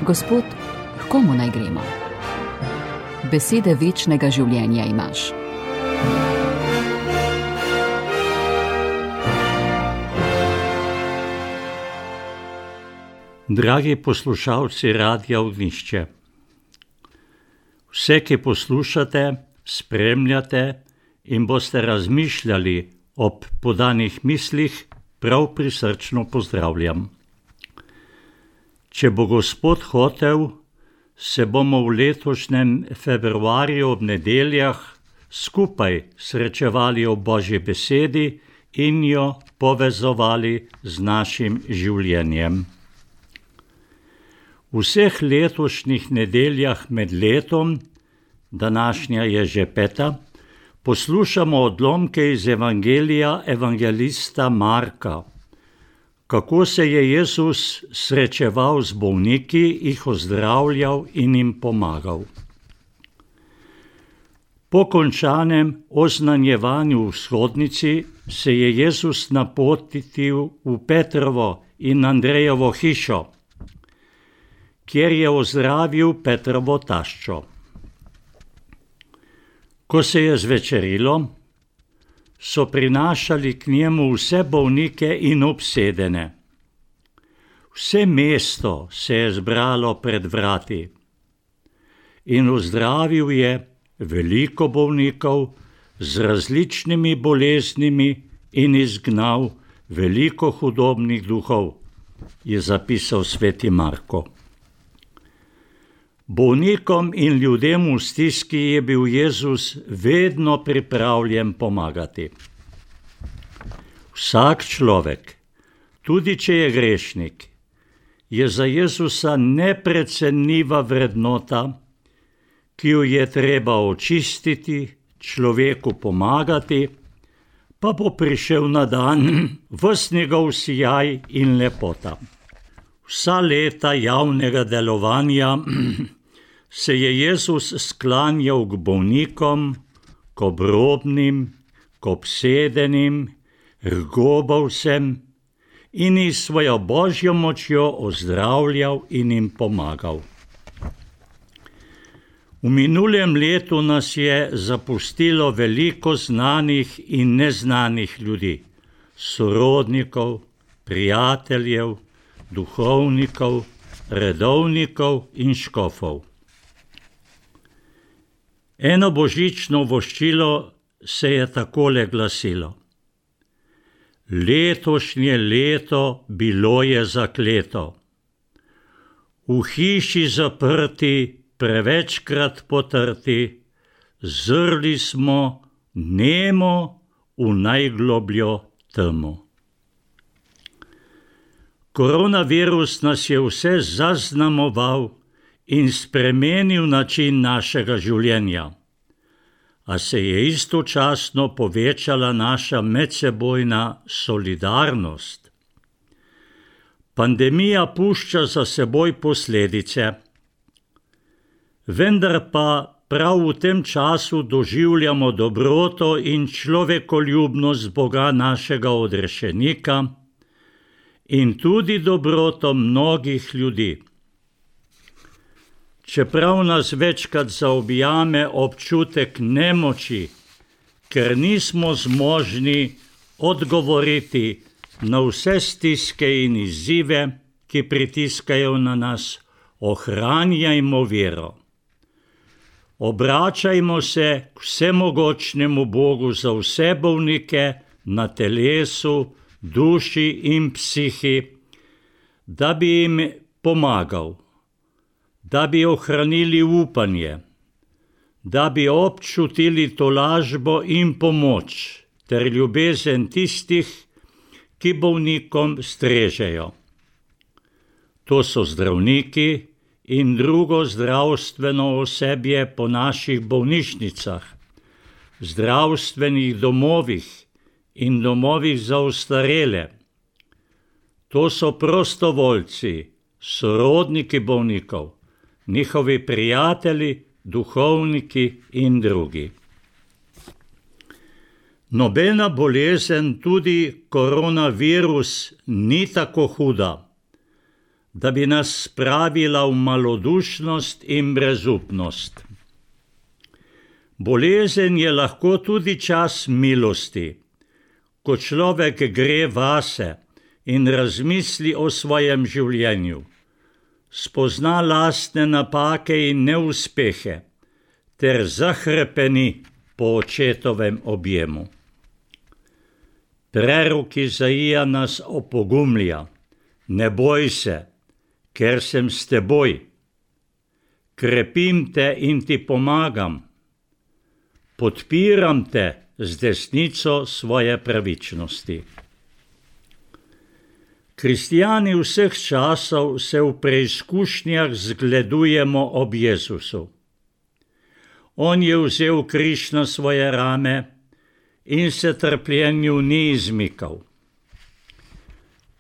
Gospod, h komu naj gremo? Besede večnega življenja imaš. Dragi poslušalci Radia Ognjišče, vse, ki poslušate, spremljate in boste razmišljali ob podanih mislih, prav prisrčno pozdravljam. Če bo Gospod hotel, se bomo v letošnjem februarju ob nedeljah skupaj srečevali ob Božji besedi in jo povezovali z našim življenjem. V vseh letošnjih nedeljah med letom, današnja je že 5., poslušamo odlomke iz Evangelija evangelista Marka, kako se je Jezus srečeval z bolniki, jih ozdravljal in jim pomagal. Po končanem oznanjevanju v shodnici se je Jezus napotil v Petrovo in Andrejevo hišo, kjer je ozdravil Petrovo taščo. Ko se je zvečerilo, so prinašali k njemu vse bolnike in obsedene. Vse mesto se je zbralo pred vrati in ozdravil je veliko bolnikov z različnimi boleznimi in izgnal veliko hudobnih duhov, je zapisal sveti Marko. Bolnikom in ljudem v stiski je bil Jezus vedno pripravljen pomagati. Vsak človek, tudi če je grešnik, je za Jezusa neprecenljiva vrednota, ki jo je treba očistiti, človeku pomagati, pa bo prišel na dan ves njegov sijaj in lepota. Vsa leta javnega delovanja se je Jezus sklanjal k bolnikom, k obrobnim, k obsedenim, k gobavcem in jih svojo Božjo močjo ozdravljal in jim pomagal. V minulem letu nas je zapustilo veliko znanih in neznanih ljudi, sorodnikov, prijateljev, duhovnikov, redovnikov in škofov. Eno božično voščilo se je takole glasilo: letošnje leto bilo je zakleto. V hiši zaprti, prevečkrat potrti, zrli smo nemo v najglobljo temo. Koronavirus nas je vse zaznamoval in spremenil način našega življenja, a se je istočasno povečala naša medsebojna solidarnost. Pandemija pušča za seboj posledice, vendar pa prav v tem času doživljamo dobroto in človekoljubnost Boga našega odrešenika in tudi dobroto mnogih ljudi. Čeprav nas večkrat zaobjame občutek nemoči, ker nismo zmožni odgovoriti na vse stiske in izzive, ki pritiskajo na nas, ohranjajmo vero. Obračajmo se k vsemogočnemu Bogu za vse bolnike na telesu, duši in psihi, da bi jim pomagal, da bi ohranili upanje, da bi občutili tolažbo in pomoč ter ljubezen tistih, ki bolnikom strežejo. To so zdravniki in drugo zdravstveno osebje po naših bolnišnicah, zdravstvenih domovih in domovih za ostarele. To so prostovoljci, sorodniki bolnikov, njihovi prijatelji, duhovniki in drugi. Nobena bolezen, tudi koronavirus, ni tako huda, da bi nas spravila v malodušnost in brezupnost. Bolezen je lahko tudi čas milosti, ko človek gre vase in razmisli o svojem življenju, spozna lastne napake in neuspehe ter zahrepeni po očetovem objemu. Prerok Izaija nas opogumlja: ne boj se, ker sem s teboj. Krepim te in ti pomagam. Podpiram te z desnico svoje pravičnosti. Kristjani vseh časov se v preizkušnjah zgledujemo ob Jezusu. On je vzel križ na svoje rame in se trpljenju ni izmikal.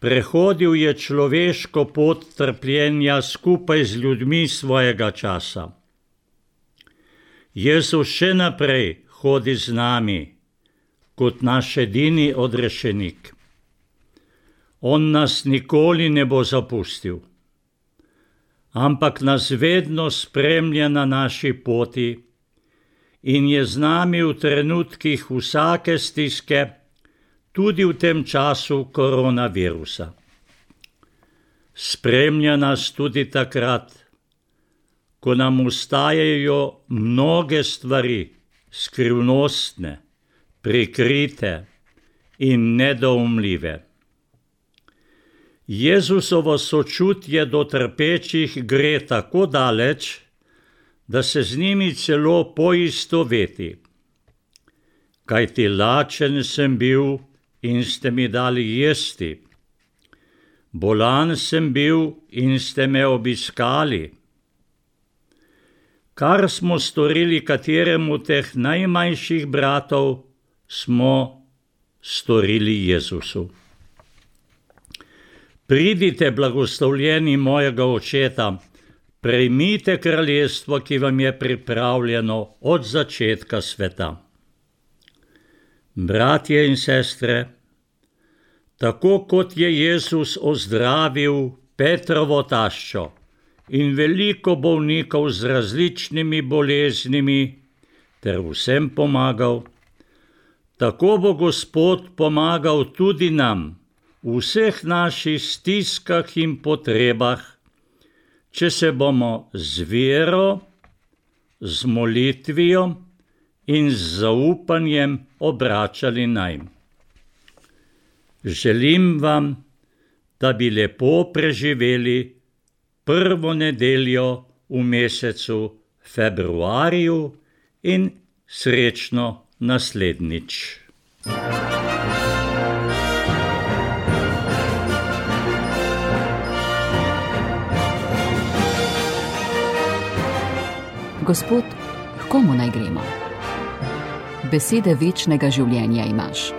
Prehodil je človeško pot trpljenja skupaj z ljudmi svojega časa. Jezus še naprej hodi z nami kot naš edini odrešenik. On nas nikoli ne bo zapustil, ampak nas vedno spremlja na naši poti in je z nami v trenutkih vsake stiske, tudi v tem času koronavirusa. Spremlja nas tudi takrat, ko nam ustajajo mnoge stvari, skrivnostne, prikrite in nedoumljive. Jezusovo sočutje do trpečih gre tako daleč, da se z njimi celo poistoveti. Kajti lačen sem bil in ste mi dali jesti. Bolan sem bil in ste me obiskali. Kar smo storili kateremu teh najmanjših bratov, smo storili Jezusu. Pridite, blagoslovljeni mojega Očeta, prejmite kraljestvo, ki vam je pripravljeno od začetka sveta. Bratje in sestre, tako kot je Jezus ozdravil Petrovo taščo in veliko bolnikov z različnimi boleznimi ter vsem pomagal, tako bo Gospod pomagal tudi nam v vseh naših stiskah in potrebah, če se bomo z vero, z molitvijo in z zaupanjem obračali nanj. Želim vam, da bi lepo preživeli prvo nedeljo v mesecu februarju in srečno naslednjič. Gospod, h komu naj gremo? Besede večnega življenja imaš.